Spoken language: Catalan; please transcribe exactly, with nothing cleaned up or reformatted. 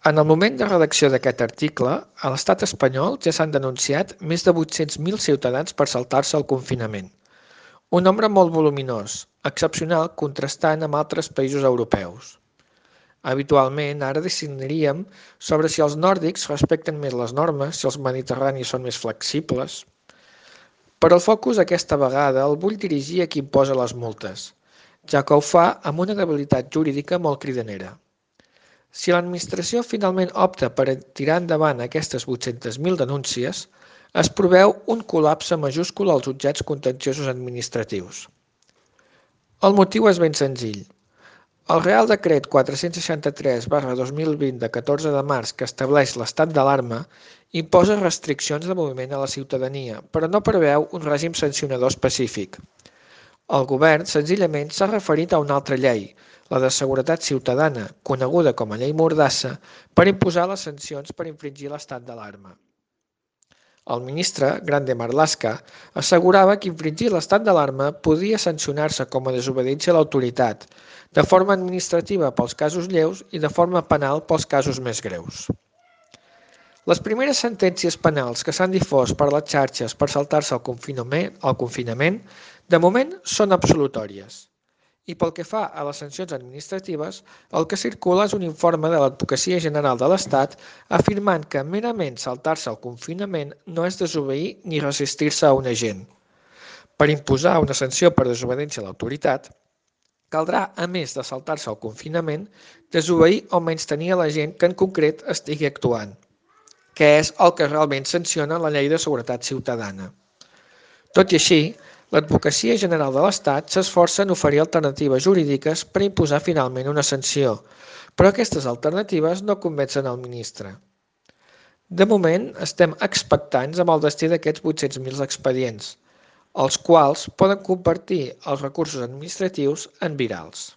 En el moment de redacció d'aquest article, a l'estat espanyol ja s'han denunciat més de vuit-cents mil ciutadans per saltar-se el confinament. Un nombre molt voluminós, excepcional contrastant amb altres països europeus. Habitualment, ara decidiríem sobre si els nòrdics respecten més les normes, si els mediterranis són més flexibles. Però el focus aquesta vegada el vull dirigir a qui imposa les multes, ja que ho fa amb una debilitat jurídica molt cridanera. Si l'administració finalment opta per tirar endavant aquestes vuit-centes mil denúncies, es preveu un col·lapse majúscul als jutjats contenciosos administratius. El motiu és ben senzill. El Real Decret quatre-cents seixanta-tres barra dos mil vint de catorze de març que estableix l'estat d'alarma imposa restriccions de moviment a la ciutadania, però no preveu un règim sancionador específic. El govern senzillament s'ha referit a una altra llei, la de Seguretat Ciutadana, coneguda com a Llei Mordassa, per imposar les sancions per infringir l'estat d'alarma. El ministre, Grande Marlaska, assegurava que infringir l'estat d'alarma podia sancionar-se com a desobediència a l'autoritat, de forma administrativa pels casos lleus i de forma penal pels casos més greus. Les primeres sentències penals que s'han difós per les xarxes per saltar-se el confinament, el confinament, de moment són absolutòries. I pel que fa a les sancions administratives, el que circula és un informe de l'Advocacia General de l'Estat afirmant que merament saltar-se el confinament no és desobeir ni resistir-se a un agent. Per imposar una sanció per desobediència a l'autoritat, caldrà, a més de saltar-se el confinament, desobeir o menystenir a l'agent que en concret estigui actuant, que és el que realment sanciona la Llei de Seguretat Ciutadana. Tot i així, l'Advocacia General de l'Estat s'esforça en oferir alternatives jurídiques per imposar finalment una sanció, però aquestes alternatives no convencen el ministre. De moment, estem expectants amb el destí d'aquests vuit-cents mil expedients, els quals poden convertir els recursos administratius en virals.